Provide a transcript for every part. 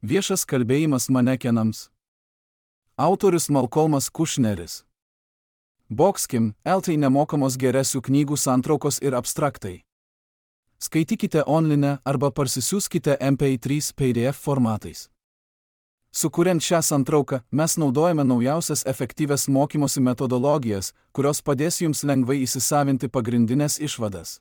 Viešas kalbėjimas manekenams. Autorius Malcolmas Kushneris. Boxkim, LT nemokamos geresių knygų santraukos ir abstraktai. Skaitykite online arba parsisiųskite MP3 PDF formatais. Sukuriant šią santrauką, mes naudojame naujausias efektyvias mokymosi metodologijas, kurios padės jums lengvai įsisavinti pagrindinės išvadas.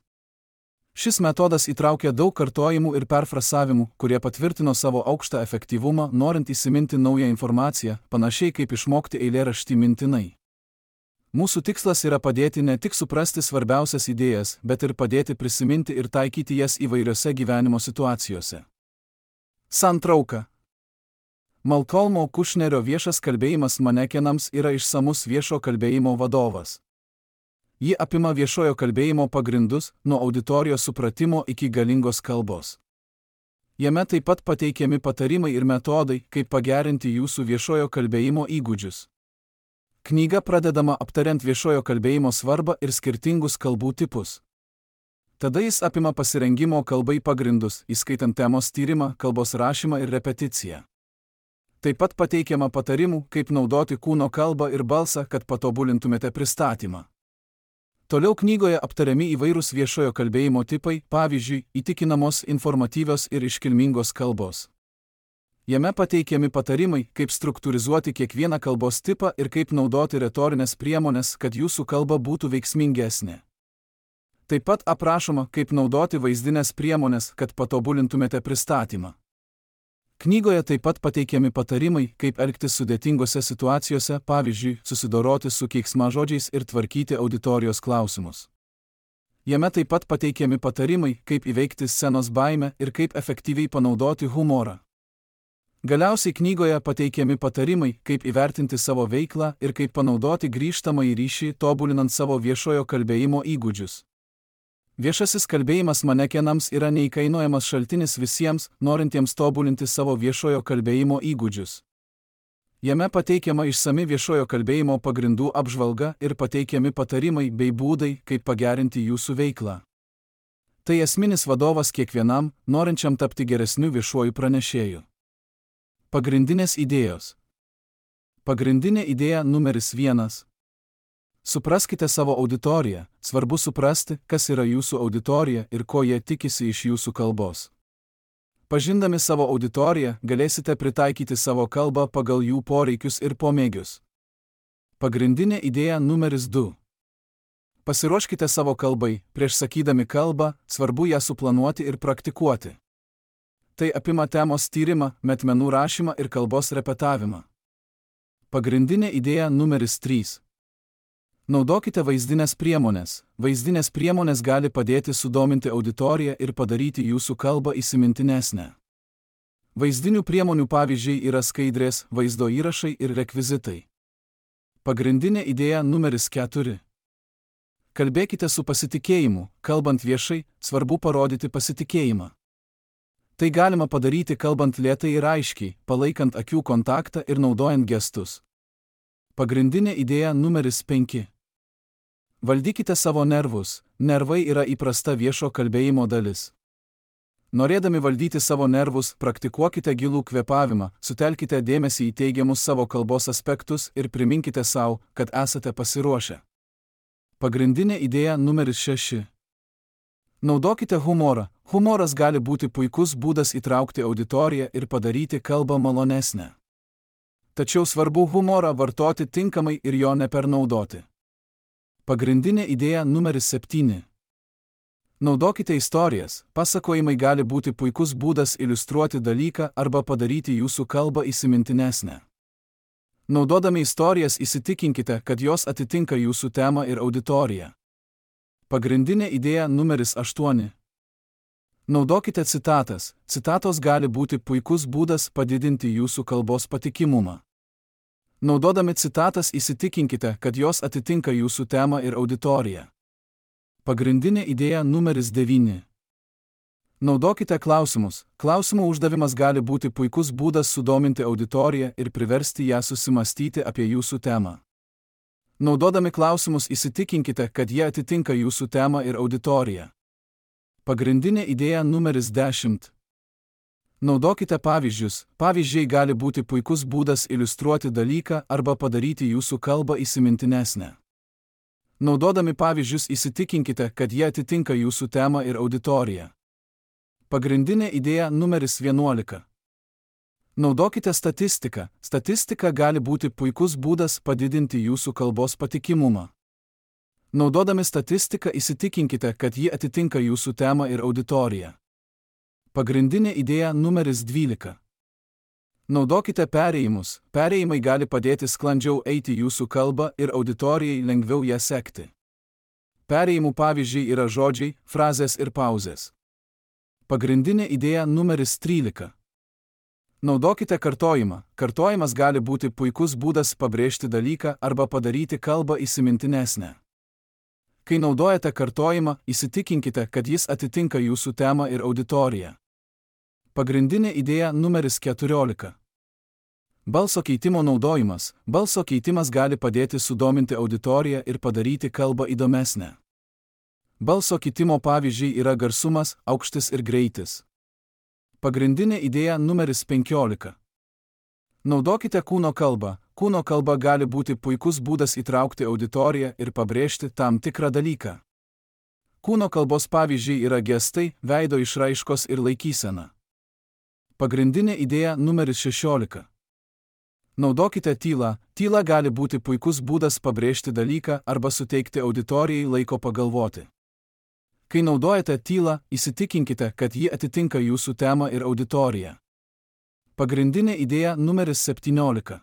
Šis metodas įtraukia daug kartojimų ir perfrasavimų, kurie patvirtino savo aukštą efektyvumą, norint įsiminti naują informaciją, panašiai kaip išmokti eilėraštį mintinai. Mūsų tikslas yra padėti ne tik suprasti svarbiausias idėjas, bet ir padėti prisiminti ir taikyti jas įvairiose gyvenimo situacijose. Santrauka. Malcolmo Kushnerio viešas kalbėjimas manekenams yra išsamus viešo kalbėjimo vadovas. Ji apima viešojo kalbėjimo pagrindus, nuo auditorijos supratimo iki galingos kalbos. Jame taip pat pateikiami patarimai ir metodai, kaip pagerinti jūsų viešojo kalbėjimo įgūdžius. Knyga pradedama aptariant viešojo kalbėjimo svarbą ir skirtingus kalbų tipus. Tada jis apima pasirengimo kalbai pagrindus, įskaitant temos tyrimą, kalbos rašymą ir repeticiją. Taip pat pateikiama patarimų, kaip naudoti kūno kalbą ir balsą, kad patobulintumėte pristatymą. Toliau knygoje aptariami įvairūs viešojo kalbėjimo tipai, pavyzdžiui, įtikinamos, informatyvios ir iškilmingos kalbos. Jame pateikiami patarimai, kaip struktūrizuoti kiekvieną kalbos tipą ir kaip naudoti retorinės priemonės, kad jūsų kalba būtų veiksmingesnė. Taip pat aprašoma, kaip naudoti vaizdinės priemonės, kad patobulintumėte pristatymą. Knygoje taip pat pateikiami patarimai, kaip elgtis sudėtingose situacijose, pavyzdžiui, susidoroti su keiksmažodžiais ir tvarkyti auditorijos klausimus. Jame taip pat pateikiami patarimai, kaip įveikti scenos baimę ir kaip efektyviai panaudoti humorą. Galiausiai knygoje pateikiami patarimai, kaip įvertinti savo veiklą ir kaip panaudoti grįžtamąjį ryšį, tobulinant savo viešojo kalbėjimo įgūdžius. Viešasis kalbėjimas manekenams yra neįkainojamas šaltinis visiems, norintiems tobulinti savo viešojo kalbėjimo įgūdžius. Jame pateikiama išsami viešojo kalbėjimo pagrindų apžvalga ir pateikiami patarimai bei būdai, kaip pagerinti jūsų veiklą. Tai esminis vadovas kiekvienam, norinčiam tapti geresniu viešuoju pranešėju. Pagrindinės idėjos. Pagrindinė idėja numeris 1. Supraskite savo auditoriją, svarbu suprasti, kas yra jūsų auditorija ir ko jie tikisi iš jūsų kalbos. Pažindami savo auditoriją, galėsite pritaikyti savo kalbą pagal jų poreikius ir pomėgius. Pagrindinė idėja numeris 2. Pasiruoškite savo kalbai, prieš sakydami kalbą, svarbu ją suplanuoti ir praktikuoti. Tai apima temos tyrimą, metmenų rašymą ir kalbos repetavimą. Pagrindinė idėja numeris 3. Naudokite vaizdinės priemonės. Vaizdinės priemonės gali padėti sudominti auditoriją ir padaryti jūsų kalbą įsimintinesnę. Vaizdinių priemonių pavyzdžiai yra skaidrės, vaizdo įrašai ir rekvizitai. Pagrindinė idėja numeris 4. Kalbėkite su pasitikėjimu. Kalbant viešai, svarbu parodyti pasitikėjimą. Tai galima padaryti kalbant lėtai ir aiškiai, palaikant akių kontaktą ir naudojant gestus. Pagrindinė idėja numeris 5. Valdykite savo nervus. Nervai yra įprasta viešo kalbėjimo dalis. Norėdami valdyti savo nervus, praktikuokite gilų kvėpavimą, sutelkite dėmesį į teigiamus savo kalbos aspektus ir priminkite sau, kad esate pasiruošę. Pagrindinė idėja numeris 6. Naudokite humorą. Humoras gali būti puikus būdas įtraukti auditoriją ir padaryti kalbą malonesnę. Tačiau svarbu humorą vartoti tinkamai ir jo nepernaudoti. Pagrindinė idėja numeris 7. Naudokite istorijas. Pasakojimai gali būti puikus būdas iliustruoti dalyką arba padaryti jūsų kalbą įsimintinesnę. Naudodami istorijas įsitikinkite, kad jos atitinka jūsų temą ir auditoriją. Pagrindinė idėja numeris 8. Naudokite citatas. Citatos gali būti puikus būdas padidinti jūsų kalbos patikimumą. Naudodami citatas įsitikinkite, kad jos atitinka jūsų temą ir auditoriją. Pagrindinė idėja numeris 9. Naudokite klausimus. Klausimų uždavimas gali būti puikus būdas sudominti auditoriją ir priversti ją susimastyti apie jūsų temą. Naudodami klausimus įsitikinkite, kad jie atitinka jūsų temą ir auditoriją. Pagrindinė idėja numeris 10. Naudokite pavyzdžius. Pavyzdžiai gali būti puikus būdas iliustruoti dalyką arba padaryti jūsų kalbą įsimintinesnę. Naudodami pavyzdžius įsitikinkite, kad jie atitinka jūsų temą ir auditoriją. Pagrindinė idėja numeris 11. Naudokite statistiką. Statistika gali būti puikus būdas padidinti jūsų kalbos patikimumą. Naudodami statistiką įsitikinkite, kad ji atitinka jūsų temą ir auditoriją. Pagrindinė idėja numeris 12. Naudokite perėjimus. Perėjimai gali padėti sklandžiau eiti jūsų kalbą ir auditorijai lengviau ją sekti. Perėjimų pavyzdžiai yra žodžiai, frazės ir pauzės. Pagrindinė idėja numeris 13. Naudokite kartojimą. Kartojimas gali būti puikus būdas pabrėžti dalyką arba padaryti kalbą įsimintinesnę. Kai naudojate kartojimą, įsitikinkite, kad jis atitinka jūsų temą ir auditoriją. Pagrindinė idėja numeris 14. Balso keitimo naudojimas. Balso keitimas gali padėti sudominti auditoriją ir padaryti kalbą įdomesnę. Balso keitimo pavyzdžiai yra garsumas, aukštis ir greitis. Pagrindinė idėja numeris 15. Naudokite kūno kalbą. Kūno kalba gali būti puikus būdas įtraukti auditoriją ir pabrėžti tam tikrą dalyką. Kūno kalbos pavyzdžiai yra gestai, veido išraiškos ir laikysena. Pagrindinė idėja numeris 16. Naudokite tylą. Tyla gali būti puikus būdas pabrėžti dalyką arba suteikti auditorijai laiko pagalvoti. Kai naudojate tylą, įsitikinkite, kad ji atitinka jūsų temą ir auditoriją. Pagrindinė idėja numeris 17.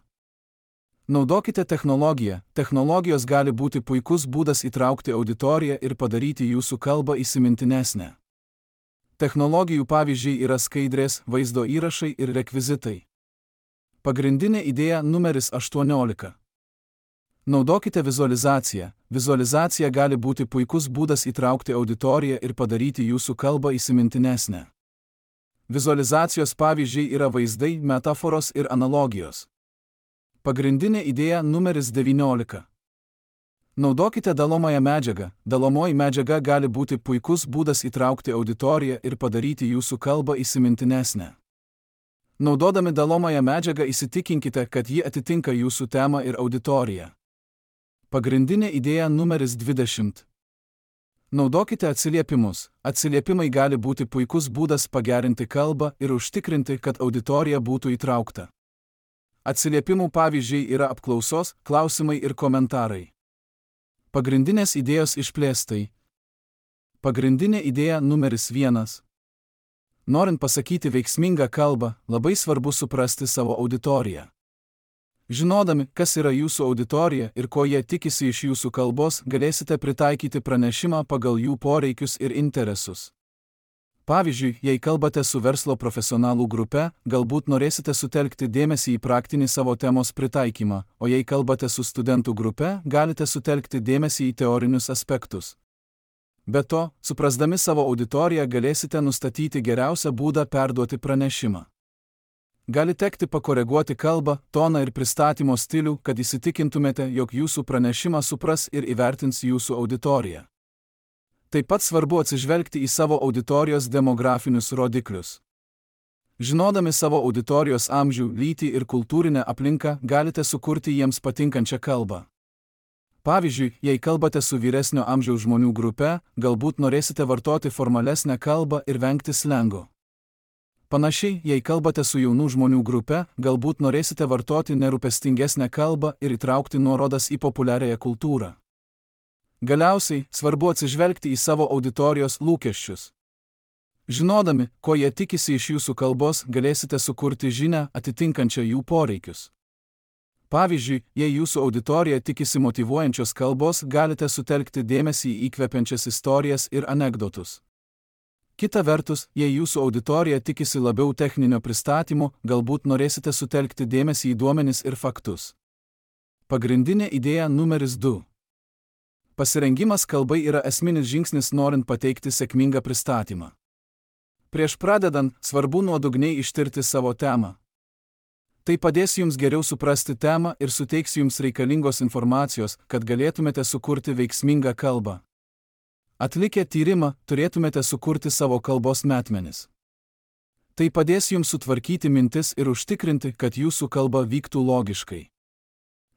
Naudokite technologiją. Technologijos gali būti puikus būdas įtraukti auditoriją ir padaryti jūsų kalbą įsimintinesnę. Technologijų pavyzdžiai yra skaidrės, vaizdo įrašai ir rekvizitai. Pagrindinė idėja numeris 18. Naudokite vizualizaciją. Vizualizacija gali būti puikus būdas įtraukti auditoriją ir padaryti jūsų kalbą įsimintinesnę. Vizualizacijos pavyzdžiai yra vaizdai, metaforos ir analogijos. Pagrindinė idėja numeris 19. Naudokite dalomąją medžiagą. Dalomoji medžiaga gali būti puikus būdas įtraukti auditoriją ir padaryti jūsų kalbą įsimintinesnę. Naudodami dalomąją medžiagą įsitikinkite, kad ji atitinka jūsų temą ir auditoriją. Pagrindinė idėja numeris 20. Naudokite atsiliepimus. Atsiliepimai gali būti puikus būdas pagerinti kalbą ir užtikrinti, kad auditorija būtų įtraukta. Atsiliepimų pavyzdžiai yra apklausos, klausimai ir komentarai. Pagrindinės idėjos išplėstai. Pagrindinė idėja numeris 1. Norint pasakyti veiksmingą kalbą, labai svarbu suprasti savo auditoriją. Žinodami, kas yra jūsų auditorija ir ko jie tikisi iš jūsų kalbos, galėsite pritaikyti pranešimą pagal jų poreikius ir interesus. Pavyzdžiui, jei kalbate su verslo profesionalų grupe, galbūt norėsite sutelkti dėmesį į praktinį savo temos pritaikymą, o jei kalbate su studentų grupe, galite sutelkti dėmesį į teorinius aspektus. Be to, suprasdami savo auditoriją galėsite nustatyti geriausią būdą perduoti pranešimą. Gali tekti pakoreguoti kalbą, toną ir pristatymo stilių, kad įsitikintumėte, jog jūsų pranešimą supras ir įvertins jūsų auditorija. Taip pat svarbu atsižvelgti į savo auditorijos demografinius rodiklius. Žinodami savo auditorijos amžių, lytį ir kultūrinę aplinką, galite sukurti jiems patinkančią kalbą. Pavyzdžiui, jei kalbate su vyresnio amžiaus žmonių grupe, galbūt norėsite vartoti formalesnę kalbą ir vengti slengo. Panašiai, jei kalbate su jaunų žmonių grupe, galbūt norėsite vartoti nerūpestingesnę kalbą ir įtraukti nuorodas į populiariąją kultūrą. Galiausiai, svarbu atsižvelgti į savo auditorijos lūkesčius. Žinodami, ko jie tikisi iš jūsų kalbos, galėsite sukurti žinią atitinkančią jų poreikius. Pavyzdžiui, jei jūsų auditorija tikisi motyvuojančios kalbos, galite sutelkti dėmesį į įkvepiančias istorijas ir anekdotus. Kita vertus, jei jūsų auditorija tikisi labiau techninio pristatymo, galbūt norėsite sutelkti dėmesį į duomenis ir faktus. Pagrindinė idėja numeris 2. Pasirengimas kalbai yra esminis žingsnis norint pateikti sėkmingą pristatymą. Prieš pradedant, svarbu nuodugniai ištirti savo temą. Tai padės jums geriau suprasti temą ir suteiks jums reikalingos informacijos, kad galėtumėte sukurti veiksmingą kalbą. Atlikę tyrimą, turėtumėte sukurti savo kalbos metmenis. Tai padės jums sutvarkyti mintis ir užtikrinti, kad jūsų kalba vyktų logiškai.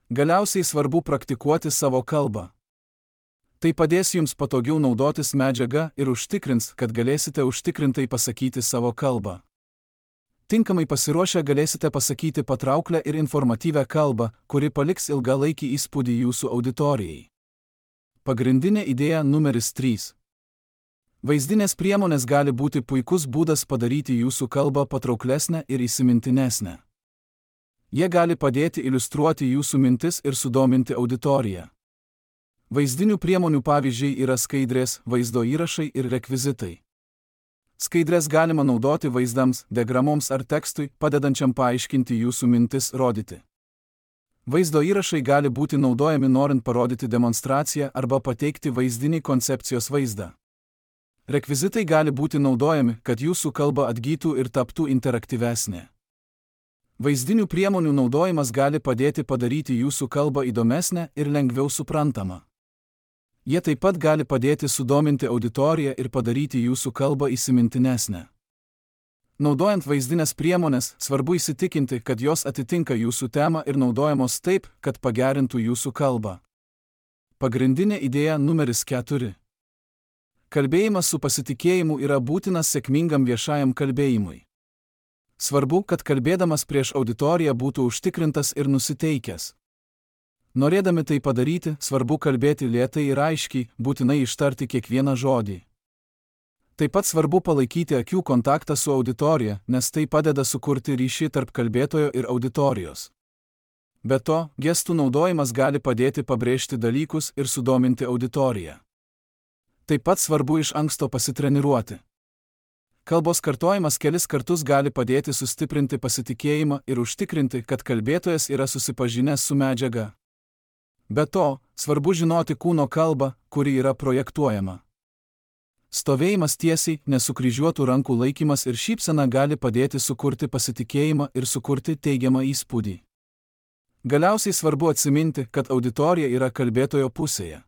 Galiausiai svarbu praktikuoti savo kalbą. Tai padės jums patogiau naudotis medžiaga ir užtikrins, kad galėsite užtikrintai pasakyti savo kalbą. Tinkamai pasiruošę galėsite pasakyti patrauklę ir informatyvią kalbą, kuri paliks ilgalaikį įspūdį jūsų auditorijai. Pagrindinė idėja numeris 3. Vaizdinės priemonės gali būti puikus būdas padaryti jūsų kalbą patrauklesnę ir įsimintinesnę. Jie gali padėti iliustruoti jūsų mintis ir sudominti auditoriją. Vaizdinių priemonių pavyzdžiai yra skaidrės, vaizdo įrašai ir rekvizitai. Skaidrės galima naudoti vaizdams, diagramoms ar tekstui, padedančiam paaiškinti jūsų mintis rodyti. Vaizdo įrašai gali būti naudojami norint parodyti demonstraciją arba pateikti vaizdinį koncepcijos vaizdą. Rekvizitai gali būti naudojami, kad jūsų kalba atgytų ir taptų interaktyvesnė. Vaizdinių priemonių naudojimas gali padėti padaryti jūsų kalbą įdomesnę ir lengviau suprantamą. Jie taip pat gali padėti sudominti auditoriją ir padaryti jūsų kalbą įsimintinesnę. Naudojant vaizdinės priemonės, svarbu įsitikinti, kad jos atitinka jūsų temą ir naudojamos taip, kad pagerintų jūsų kalbą. Pagrindinė idėja numeris 4. Kalbėjimas su pasitikėjimu yra būtinas sėkmingam viešajam kalbėjimui. Svarbu, kad kalbėdamas prieš auditoriją būtų užtikrintas ir nusiteikęs. Norėdami tai padaryti, svarbu kalbėti lėtai ir aiškiai, būtinai ištarti kiekvieną žodį. Taip pat svarbu palaikyti akių kontaktą su auditorija, nes tai padeda sukurti ryšį tarp kalbėtojo ir auditorijos. Be to, gestų naudojimas gali padėti pabrėžti dalykus ir sudominti auditoriją. Taip pat svarbu iš anksto pasitreniruoti. Kalbos kartojimas kelis kartus gali padėti sustiprinti pasitikėjimą ir užtikrinti, kad kalbėtojas yra susipažinęs su medžiaga. Be to, svarbu žinoti kūno kalbą, kuri yra projektuojama. Stovėjimas tiesiai, nesukryžiuotų rankų laikymas ir šypsena gali padėti sukurti pasitikėjimą ir sukurti teigiamą įspūdį. Galiausiai svarbu atsiminti, kad auditorija yra kalbėtojo pusėje.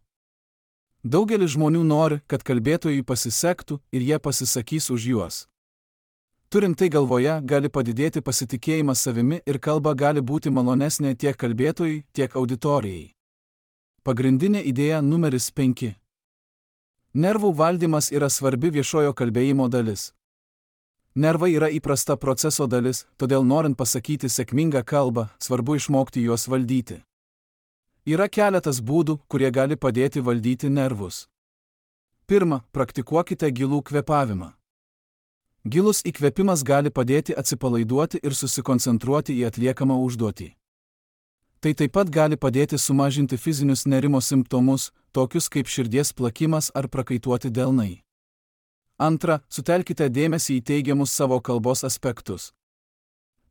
Daugelis žmonių nori, kad kalbėtojui pasisektų ir jie pasisakys už juos. Turint tai galvoje, gali padidėti pasitikėjimas savimi ir kalba gali būti malonesnė tiek kalbėtojui, tiek auditorijai. Pagrindinė idėja numeris 5. Nervų valdymas yra svarbi viešojo kalbėjimo dalis. Nervai yra įprasta proceso dalis, todėl norint pasakyti sėkmingą kalbą, svarbu išmokti juos valdyti. Yra keletas būdų, kurie gali padėti valdyti nervus. Pirma, praktikuokite gilų kvėpavimą. Gilus įkvėpimas gali padėti atsipalaiduoti ir susikoncentruoti į atliekamą užduotį. Tai taip pat gali padėti sumažinti fizinius nerimo simptomus, tokius kaip širdies plakimas ar prakaituoti delnai. Antra, sutelkite dėmesį į teigiamus savo kalbos aspektus.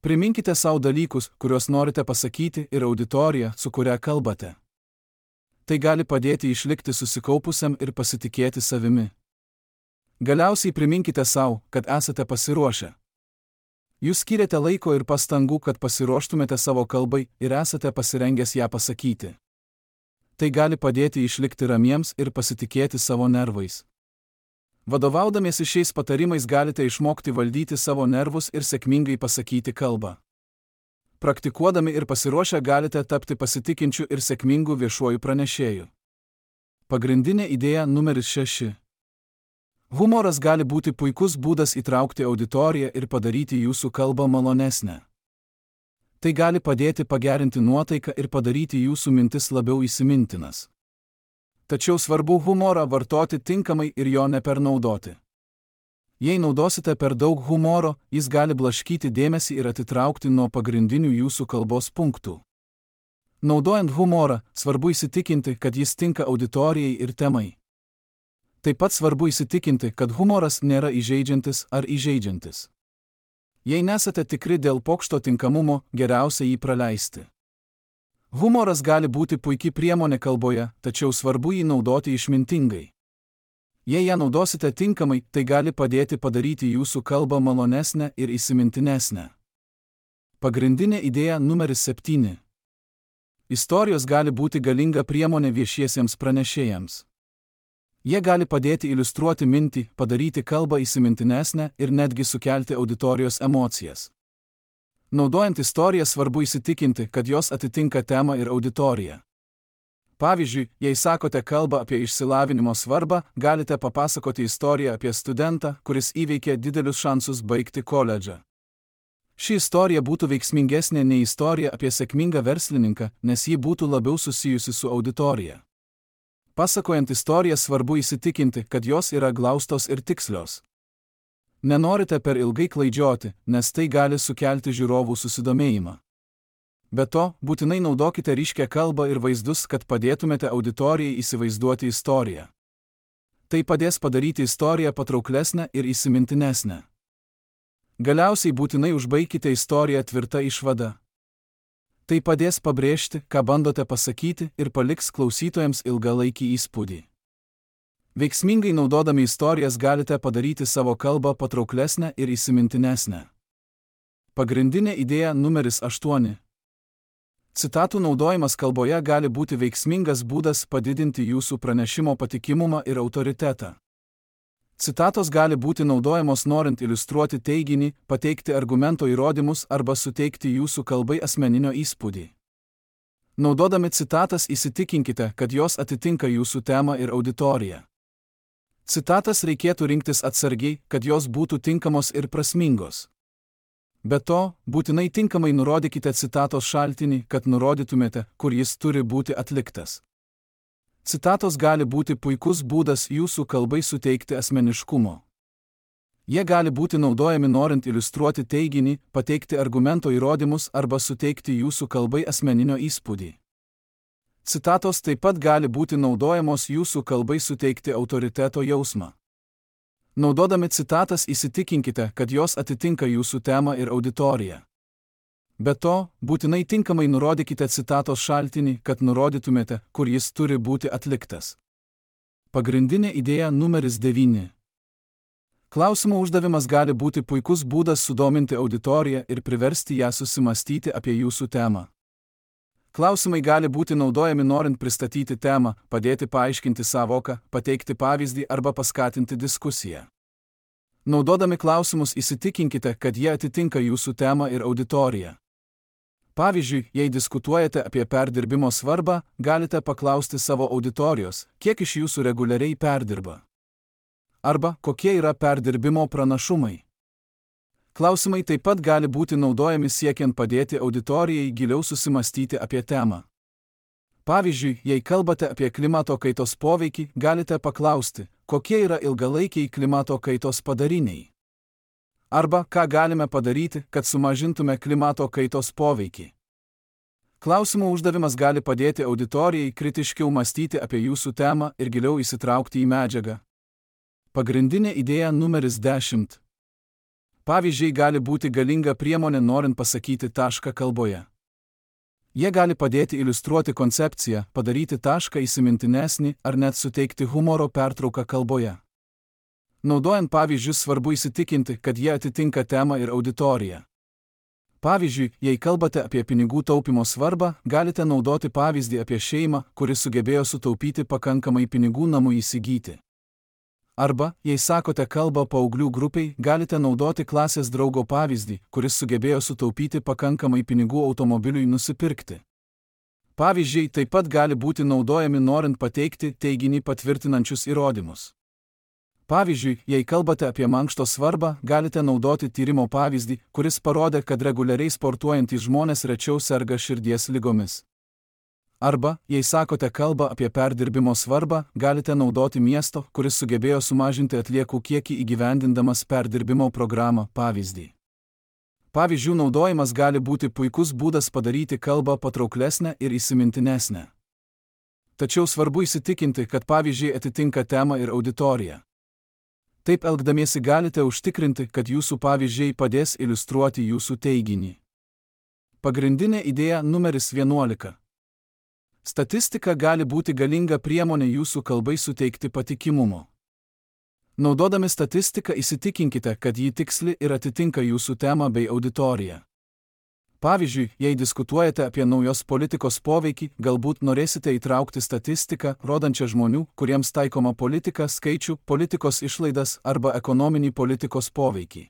Priminkite savo dalykus, kuriuos norite pasakyti ir auditoriją, su kuria kalbate. Tai gali padėti išlikti susikaupusiam ir pasitikėti savimi. Galiausiai priminkite savo, kad esate pasiruošę. Jūs skiriate laiko ir pastangų, kad pasiruoštumėte savo kalbai ir esate pasirengęs ją pasakyti. Tai gali padėti išlikti ramiems ir pasitikėti savo nervais. Vadovaudamiesi šiais patarimais galite išmokti valdyti savo nervus ir sėkmingai pasakyti kalbą. Praktikuodami ir pasiruošę galite tapti pasitikinčiu ir sėkmingu viešuoju pranešėju. Pagrindinė idėja numeris 6. Humoras gali būti puikus būdas įtraukti auditoriją ir padaryti jūsų kalbą malonesnę. Tai gali padėti pagerinti nuotaiką ir padaryti jūsų mintis labiau įsimintinas. Tačiau svarbu humorą vartoti tinkamai ir jo nepernaudoti. Jei naudosite per daug humoro, jis gali blaškyti dėmesį ir atitraukti nuo pagrindinių jūsų kalbos punktų. Naudojant humorą, svarbu įsitikinti, kad jis tinka auditorijai ir temai. Taip pat svarbu įsitikinti, kad humoras nėra įžeidžiantis ar įžeidžiantis. Jei nesate tikri dėl pokšto tinkamumo, geriausia jį praleisti. Humoras gali būti puiki priemonė kalboje, tačiau svarbu jį naudoti išmintingai. Jei ją naudosite tinkamai, tai gali padėti padaryti jūsų kalbą malonesnę ir įsimintinesnę. Pagrindinė idėja numeris 7. Istorijos gali būti galinga priemonė viešiesiems pranešėjams. Jie gali padėti iliustruoti mintį, padaryti kalbą įsimintinesnę ir netgi sukelti auditorijos emocijas. Naudojant istoriją svarbu įsitikinti, kad jos atitinka temą ir auditoriją. Pavyzdžiui, jei sakote kalbą apie išsilavinimo svarbą, galite papasakoti istoriją apie studentą, kuris įveikė didelius šansus baigti koledžą. Ši istorija būtų veiksmingesnė nei istorija apie sėkmingą verslininką, nes ji būtų labiau susijusi su auditorija. Pasakojant istoriją svarbu įsitikinti, kad jos yra glaustos ir tikslios. Nenorite per ilgai klaidžioti, nes tai gali sukelti žiūrovų susidomėjimą. Be to, būtinai naudokite ryškią kalbą ir vaizdus, kad padėtumėte auditorijai įsivaizduoti istoriją. Tai padės padaryti istoriją patrauklesnę ir įsimintinesnę. Galiausiai būtinai užbaikite istoriją tvirta išvada. Tai padės pabrėžti, ką bandote pasakyti ir paliks klausytojams ilgalaikį įspūdį. Veiksmingai naudodami istorijas galite padaryti savo kalbą patrauklesnę ir įsimintinesnę. Pagrindinė idėja numeris 8. Citatų naudojimas kalboje gali būti veiksmingas būdas padidinti jūsų pranešimo patikimumą ir autoritetą. Citatos gali būti naudojamos norint iliustruoti teiginį, pateikti argumento įrodymus arba suteikti jūsų kalbai asmeninio įspūdį. Naudodami citatas įsitikinkite, kad jos atitinka jūsų temą ir auditoriją. Citatas reikėtų rinktis atsargiai, kad jos būtų tinkamos ir prasmingos. Be to, būtinai tinkamai nurodykite citatos šaltinį, kad nurodytumėte, kur jis turi būti atliktas. Citatos gali būti puikus būdas jūsų kalbai suteikti asmeniškumo. Jie gali būti naudojami norint iliustruoti teiginį, pateikti argumento įrodymus arba suteikti jūsų kalbai asmeninio įspūdį. Citatos taip pat gali būti naudojamos jūsų kalbai suteikti autoriteto jausmą. Naudodami citatas įsitikinkite, kad jos atitinka jūsų temą ir auditoriją. Be to, būtinai tinkamai nurodykite citatos šaltinį, kad nurodytumėte, kur jis turi būti atliktas. Pagrindinė idėja numeris 9. Klausimo uždavimas gali būti puikus būdas sudominti auditoriją ir priversti ją susimastyti apie jūsų temą. Klausimai gali būti naudojami norint pristatyti temą, padėti paaiškinti sąvoką, pateikti pavyzdį arba paskatinti diskusiją. Naudodami klausimus įsitikinkite, kad jie atitinka jūsų temą ir auditoriją. Pavyzdžiui, jei diskutuojate apie perdirbimo svarbą, galite paklausti savo auditorijos, kiek iš jūsų reguliariai perdirba. Arba, kokie yra perdirbimo pranašumai. Klausimai taip pat gali būti naudojami siekiant padėti auditorijai giliau susimastyti apie temą. Pavyzdžiui, jei kalbate apie klimato kaitos poveikį, galite paklausti, kokie yra ilgalaikiai klimato kaitos padariniai. Arba, ką galime padaryti, kad sumažintume klimato kaitos poveikį. Klausimų uždavimas gali padėti auditorijai kritiškiau mąstyti apie jūsų temą ir giliau įsitraukti į medžiagą. Pagrindinė idėja numeris 10. Pavyzdžiai gali būti galinga priemonė norint pasakyti tašką kalboje. Jie gali padėti iliustruoti koncepciją, padaryti tašką įsimintinesnį ar net suteikti humoro pertrauką kalboje. Naudojant pavyzdžius svarbu įsitikinti, kad jie atitinka temą ir auditoriją. Pavyzdžiui, jei kalbate apie pinigų taupimo svarbą, galite naudoti pavyzdį apie šeimą, kuri sugebėjo sutaupyti pakankamai pinigų namui įsigyti. Arba, jei sakote kalbą paauglių grupiai, galite naudoti klasės draugo pavyzdį, kuris sugebėjo sutaupyti pakankamai pinigų automobiliui nusipirkti. Pavyzdžiai taip pat gali būti naudojami norint pateikti teiginį patvirtinančius įrodymus. Pavyzdžiui, jei kalbate apie mankšto svarbą, galite naudoti tyrimo pavyzdį, kuris parodė, kad reguliariai sportuojantys žmonės rečiau serga širdies ligomis. Arba, jei sakote kalbą apie perdirbimo svarbą, galite naudoti miesto, kuris sugebėjo sumažinti atliekų kiekį įgyvendindamas perdirbimo programą pavyzdį. Pavyzdžių naudojimas gali būti puikus būdas padaryti kalbą patrauklesnę ir įsimintinesnę. Tačiau svarbu įsitikinti, kad pavyzdžiai atitinka temą ir auditoriją. Taip elgdamiesi galite užtikrinti, kad jūsų pavyzdžiai padės iliustruoti jūsų teiginį. Pagrindinė idėja numeris 11. Statistika gali būti galinga priemonė jūsų kalbai suteikti patikimumo. Naudodami statistiką įsitikinkite, kad ji tiksli ir atitinka jūsų temą bei auditoriją. Pavyzdžiui, jei diskutuojate apie naujos politikos poveikį, galbūt norėsite įtraukti statistiką, rodančią žmonių, kuriems taikoma politika, skaičių, politikos išlaidas arba ekonominį politikos poveikį.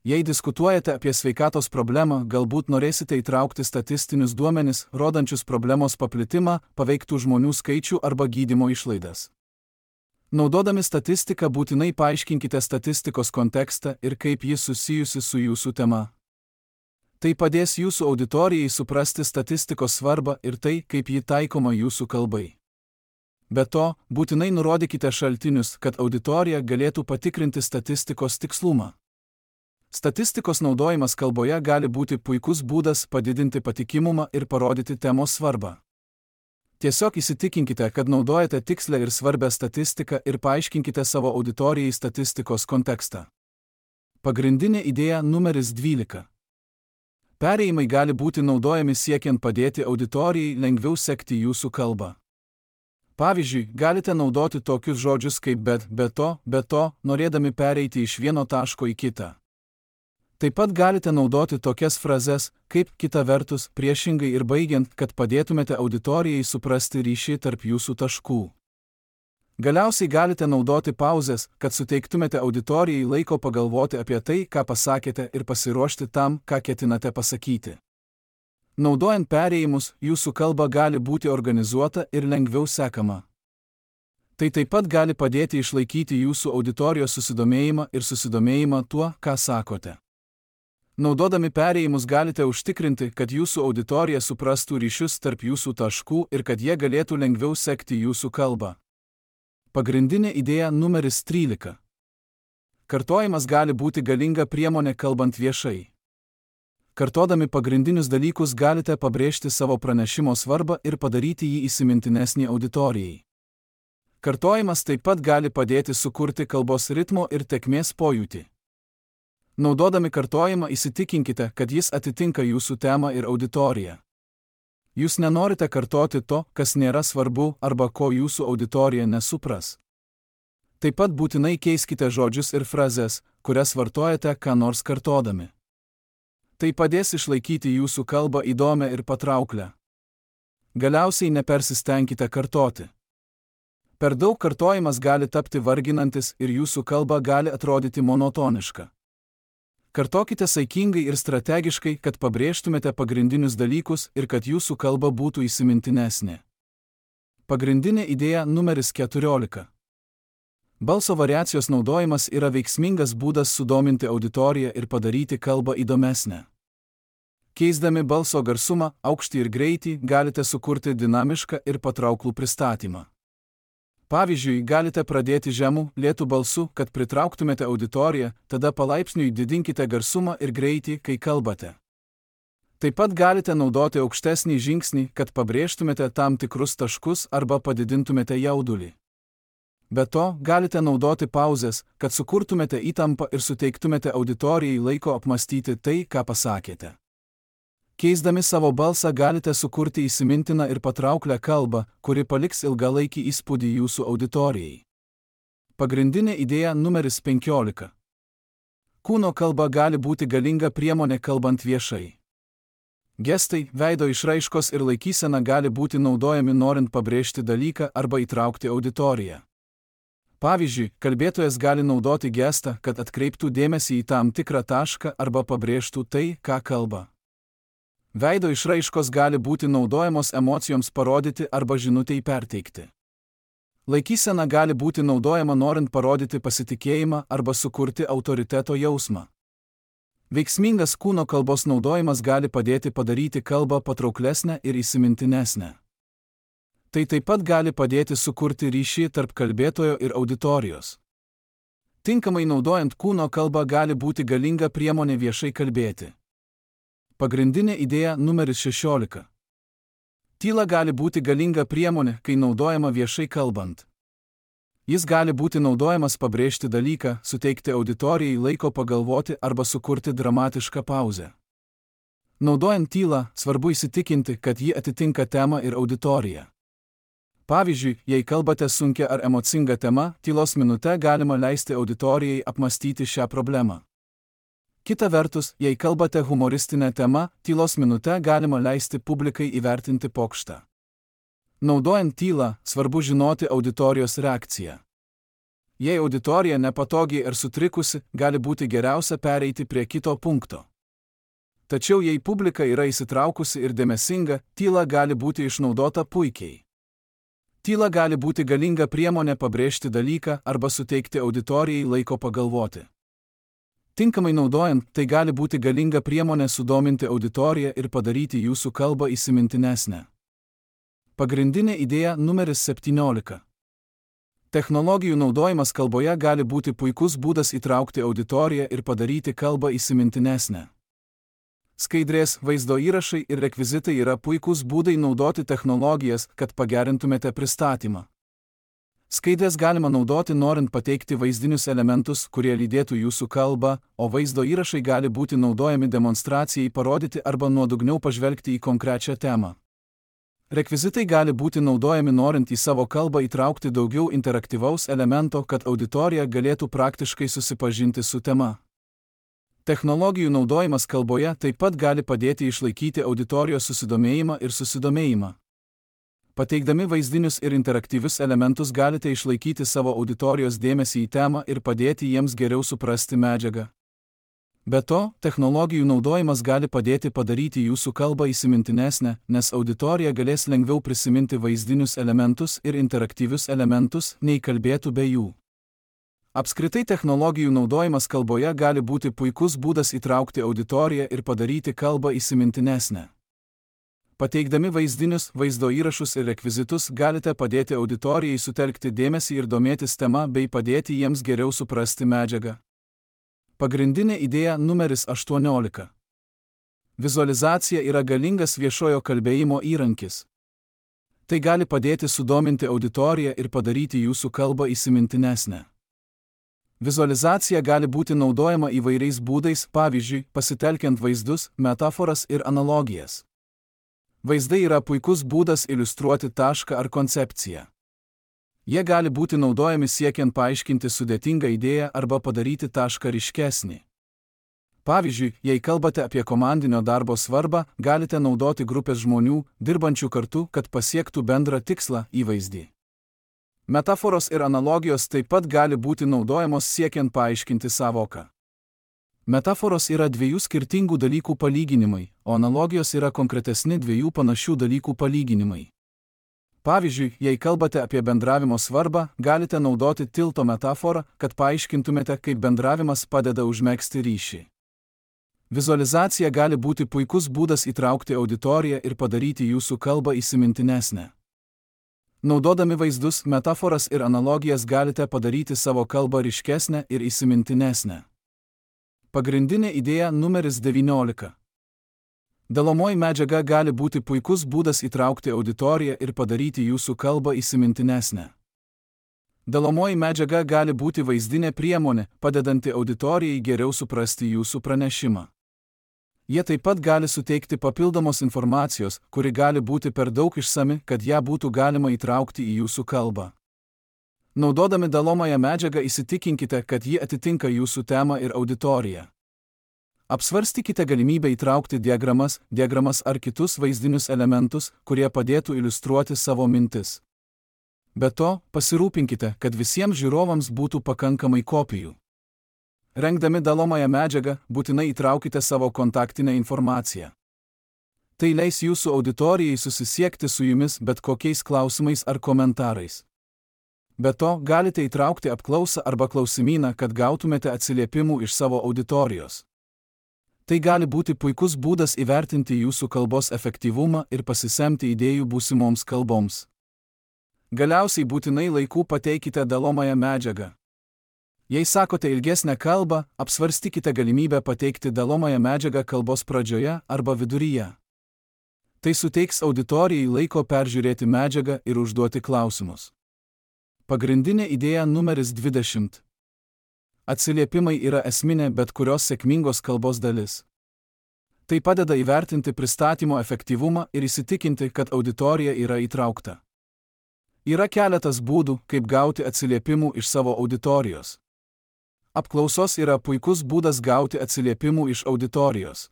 Jei diskutuojate apie sveikatos problemą, galbūt norėsite įtraukti statistinius duomenis, rodančius problemos paplitimą, paveiktų žmonių skaičių arba gydymo išlaidas. Naudodami statistiką būtinai paaiškinkite statistikos kontekstą ir kaip ji susijusi su jūsų tema. Tai padės jūsų auditorijai suprasti statistikos svarbą ir tai, kaip ji taikoma jūsų kalbai. Be to, būtinai nurodykite šaltinius, kad auditorija galėtų patikrinti statistikos tikslumą. Statistikos naudojimas kalboje gali būti puikus būdas padidinti patikimumą ir parodyti temos svarbą. Tiesiog įsitikinkite, kad naudojate tikslę ir svarbę statistiką ir paaiškinkite savo auditorijai statistikos kontekstą. Pagrindinė idėja numeris 12. Perėjimai gali būti naudojami siekiant padėti auditorijai lengviau sekti jūsų kalbą. Pavyzdžiui, galite naudoti tokius žodžius kaip bet, be to, norėdami pereiti iš vieno taško į kitą. Taip pat galite naudoti tokias frazes, kaip kita vertus, priešingai ir baigiant, kad padėtumėte auditorijai suprasti ryšį tarp jūsų taškų. Galiausiai galite naudoti pauzes, kad suteiktumėte auditorijai laiko pagalvoti apie tai, ką pasakėte ir pasiruošti tam, ką ketinate pasakyti. Naudojant perėjimus, jūsų kalba gali būti organizuota ir lengviau sekama. Tai taip pat gali padėti išlaikyti jūsų auditorijos susidomėjimą ir susidomėjimą tuo, ką sakote. Naudodami perėjimus galite užtikrinti, kad jūsų auditorija suprastų ryšius tarp jūsų taškų ir kad jie galėtų lengviau sekti jūsų kalbą. Pagrindinė idėja numeris 13. Kartojimas gali būti galinga priemonė kalbant viešai. Kartodami pagrindinius dalykus galite pabrėžti savo pranešimo svarbą ir padaryti jį įsimintinesnį auditorijai. Kartojimas taip pat gali padėti sukurti kalbos ritmo ir tėkmės pojūtį. Naudodami kartojimą įsitikinkite, kad jis atitinka jūsų temą ir auditoriją. Jūs nenorite kartoti to, kas nėra svarbu arba ko jūsų auditorija nesupras. Taip pat būtinai keiskite žodžius ir frazes, kurias vartojate ką nors kartodami. Tai padės išlaikyti jūsų kalbą įdomią ir patrauklę. Galiausiai nepersistengkite kartoti. Per daug kartojimas gali tapti varginantis ir jūsų kalba gali atrodyti monotoniška. Kartokite saikingai ir strategiškai, kad pabrėžtumėte pagrindinius dalykus ir kad jūsų kalba būtų įsimintinesnė. Pagrindinė idėja numeris 14. Balso variacijos naudojimas yra veiksmingas būdas sudominti auditoriją ir padaryti kalbą įdomesnę. Keisdami balso garsumą, aukštį ir greitį, galite sukurti dinamišką ir patrauklų pristatymą. Pavyzdžiui, galite pradėti žemų, lėtų balsų, kad pritrauktumėte auditoriją, tada palaipsniui didinkite garsumą ir greitį, kai kalbate. Taip pat galite naudoti aukštesnį žingsnį, kad pabrėžtumėte tam tikrus taškus arba padidintumėte jaudulį. Be to, galite naudoti pauzes, kad sukurtumėte įtampą ir suteiktumėte auditorijai laiko apmastyti tai, ką pasakėte. Keisdami savo balsą galite sukurti įsimintiną ir patrauklę kalbą, kuri paliks ilgalaikį įspūdį jūsų auditorijai. Pagrindinė idėja numeris 15. Kūno kalba gali būti galinga priemonė kalbant viešai. Gestai, veido išraiškos ir laikysena gali būti naudojami norint pabrėžti dalyką arba įtraukti auditoriją. Pavyzdžiui, kalbėtojas gali naudoti gestą, kad atkreiptų dėmesį į tam tikrą tašką arba pabrėžtų tai, ką kalba. Veido išraiškos gali būti naudojamos emocijoms parodyti arba žinutei perteikti. Laikysena gali būti naudojama norint parodyti pasitikėjimą arba sukurti autoriteto jausmą. Veiksmingas kūno kalbos naudojimas gali padėti padaryti kalbą patrauklesnę ir įsimintinesnę. Tai taip pat gali padėti sukurti ryšį tarp kalbėtojo ir auditorijos. Tinkamai naudojant kūno kalbą gali būti galinga priemonė viešai kalbėti. Pagrindinė idėja numeris 16. Tyla gali būti galinga priemonė, kai naudojama viešai kalbant. Jis gali būti naudojamas pabrėžti dalyką, suteikti auditorijai laiko pagalvoti arba sukurti dramatišką pauzę. Naudojant tylą, svarbu įsitikinti, kad ji atitinka temą ir auditoriją. Pavyzdžiui, jei kalbate sunkia ar emocinga tema, tylos minute galima leisti auditorijai apmastyti šią problemą. Kita vertus, jei kalbate humoristinę temą, tylos minutę galima leisti publikai įvertinti pokštą. Naudojant tylą, svarbu žinoti auditorijos reakciją. Jei auditorija nepatogiai ar sutrikusi, gali būti geriausia pereiti prie kito punkto. Tačiau jei publika yra įsitraukusi ir dėmesinga, tyla gali būti išnaudota puikiai. Tyla gali būti galinga priemonė pabrėžti dalyką arba suteikti auditorijai laiko pagalvoti. Tinkamai naudojant, tai gali būti galinga priemonė sudominti auditoriją ir padaryti jūsų kalbą įsimintinesnę. Pagrindinė idėja numeris 17. Technologijų naudojimas kalboje gali būti puikus būdas įtraukti auditoriją ir padaryti kalbą įsimintinesnę. Skaidrės, vaizdo įrašai ir rekvizitai yra puikūs būdai naudoti technologijas, kad pagerintumėte pristatymą. Skaidrės galima naudoti norint pateikti vaizdinius elementus, kurie lydėtų jūsų kalbą, o vaizdo įrašai gali būti naudojami demonstracijai parodyti arba nuodugniau pažvelgti į konkrečią temą. Rekvizitai gali būti naudojami norint į savo kalbą įtraukti daugiau interaktyvaus elemento, kad auditorija galėtų praktiškai susipažinti su tema. Technologijų naudojimas kalboje taip pat gali padėti išlaikyti auditorijos susidomėjimą ir susidomėjimą. Pateikdami vaizdinius ir interaktyvius elementus galite išlaikyti savo auditorijos dėmesį į temą ir padėti jiems geriau suprasti medžiagą. Be to, technologijų naudojimas gali padėti padaryti jūsų kalbą įsimintinesnę, nes auditorija galės lengviau prisiminti vaizdinius elementus ir interaktyvius elementus, nei kalbėtų be jų. Apskritai technologijų naudojimas kalboje gali būti puikus būdas įtraukti auditoriją ir padaryti kalbą įsimintinesnę. Pateikdami vaizdinius, vaizdo įrašus ir rekvizitus galite padėti auditorijai sutelkti dėmesį ir domėtis tema bei padėti jiems geriau suprasti medžiagą. Pagrindinė idėja numeris 18. Vizualizacija yra galingas viešojo kalbėjimo įrankis. Tai gali padėti sudominti auditoriją ir padaryti jūsų kalbą įsimintinesnę. Vizualizacija gali būti naudojama įvairiais būdais, pavyzdžiui, pasitelkiant vaizdus, metaforas ir analogijas. Vaizdai yra puikus būdas iliustruoti tašką ar koncepciją. Jie gali būti naudojami siekiant paaiškinti sudėtingą idėją arba padaryti tašką ryškesnį. Pavyzdžiui, jei kalbate apie komandinio darbo svarbą, galite naudoti grupės žmonių, dirbančių kartu, kad pasiektų bendrą tikslą įvaizdį. Metaforos ir analogijos taip pat gali būti naudojamos siekiant paaiškinti sąvoką. Metaforos yra dviejų skirtingų dalykų palyginimai, o analogijos yra konkretesni dviejų panašių dalykų palyginimai. Pavyzdžiui, jei kalbate apie bendravimo svarbą, galite naudoti tilto metaforą, kad paaiškintumėte, kaip bendravimas padeda užmegzti ryšį. Vizualizacija gali būti puikus būdas įtraukti auditoriją ir padaryti jūsų kalbą įsimintinesnę. Naudodami vaizdus, metaforas ir analogijas galite padaryti savo kalbą ryškesnę ir įsimintinesnę. Pagrindinė idėja numeris 19. Dalomoji medžiaga gali būti puikus būdas įtraukti auditoriją ir padaryti jūsų kalbą įsimintinesnę. Dalomoji medžiaga gali būti vaizdinė priemonė, padedanti auditorijai geriau suprasti jūsų pranešimą. Jie taip pat gali suteikti papildomos informacijos, kuri gali būti per daug išsami, kad ją būtų galima įtraukti į jūsų kalbą. Naudodami dalomąją medžiagą įsitikinkite, kad ji atitinka jūsų temą ir auditoriją. Apsvarstykite galimybę įtraukti diagramas ar kitus vaizdinius elementus, kurie padėtų iliustruoti savo mintis. Be to, pasirūpinkite, kad visiems žiūrovams būtų pakankamai kopijų. Rengdami dalomąją medžiagą, būtinai įtraukite savo kontaktinę informaciją. Tai leis jūsų auditorijai susisiekti su jumis bet kokiais klausimais ar komentarais. Be to, galite įtraukti apklausą arba klausimyną, kad gautumėte atsiliepimų iš savo auditorijos. Tai gali būti puikus būdas įvertinti jūsų kalbos efektyvumą ir pasisemti idėjų būsimoms kalboms. Galiausiai būtinai laiku pateikite dalomąją medžiagą. Jei sakote ilgesnę kalbą, apsvarstykite galimybę pateikti dalomąją medžiagą kalbos pradžioje arba viduryje. Tai suteiks auditorijai laiko peržiūrėti medžiagą ir užduoti klausimus. Pagrindinė idėja numeris 20. Atsiliepimai yra esminė bet kurios sėkmingos kalbos dalis. Tai padeda įvertinti pristatymo efektyvumą ir įsitikinti, kad auditorija yra įtraukta. Yra keletas būdų, kaip gauti atsiliepimų iš savo auditorijos. Apklausos yra puikus būdas gauti atsiliepimų iš auditorijos.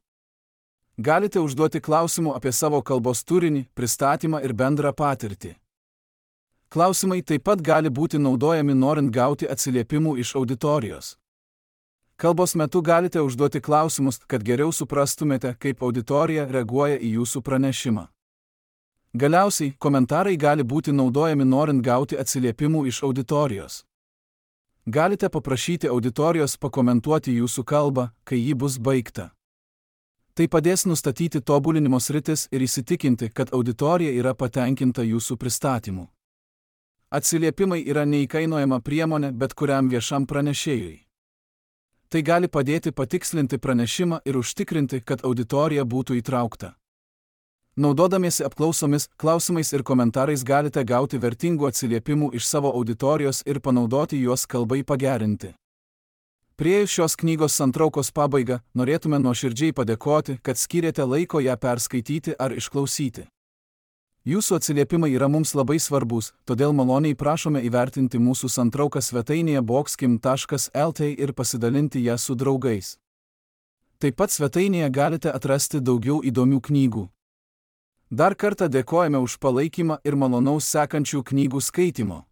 Galite užduoti klausimų apie savo kalbos turinį, pristatymą ir bendrą patirtį. Klausimai taip pat gali būti naudojami norint gauti atsiliepimų iš auditorijos. Kalbos metu galite užduoti klausimus, kad geriau suprastumėte, kaip auditorija reaguoja į jūsų pranešimą. Galiausiai, komentarai gali būti naudojami norint gauti atsiliepimų iš auditorijos. Galite paprašyti auditorijos pakomentuoti jūsų kalbą, kai ji bus baigta. Tai padės nustatyti tobulinimo sritis ir įsitikinti, kad auditorija yra patenkinta jūsų pristatymu. Atsiliepimai yra neįkainojama priemonė bet kuriam viešam pranešėjui. Tai gali padėti patikslinti pranešimą ir užtikrinti, kad auditorija būtų įtraukta. Naudodamiesi apklausomis, klausimais ir komentarais galite gauti vertingų atsiliepimų iš savo auditorijos ir panaudoti juos kalbai pagerinti. Priėjus šios knygos santraukos pabaigą, norėtume nuoširdžiai padėkoti, kad skyrėte laiko ją perskaityti ar išklausyti. Jūsų atsiliepimai yra mums labai svarbus, todėl maloniai prašome įvertinti mūsų santrauką svetainėje boxkim.lt ir pasidalinti ją su draugais. Taip pat svetainėje galite atrasti daugiau įdomių knygų. Dar kartą dėkojame už palaikymą ir malonaus sekančių knygų skaitimo.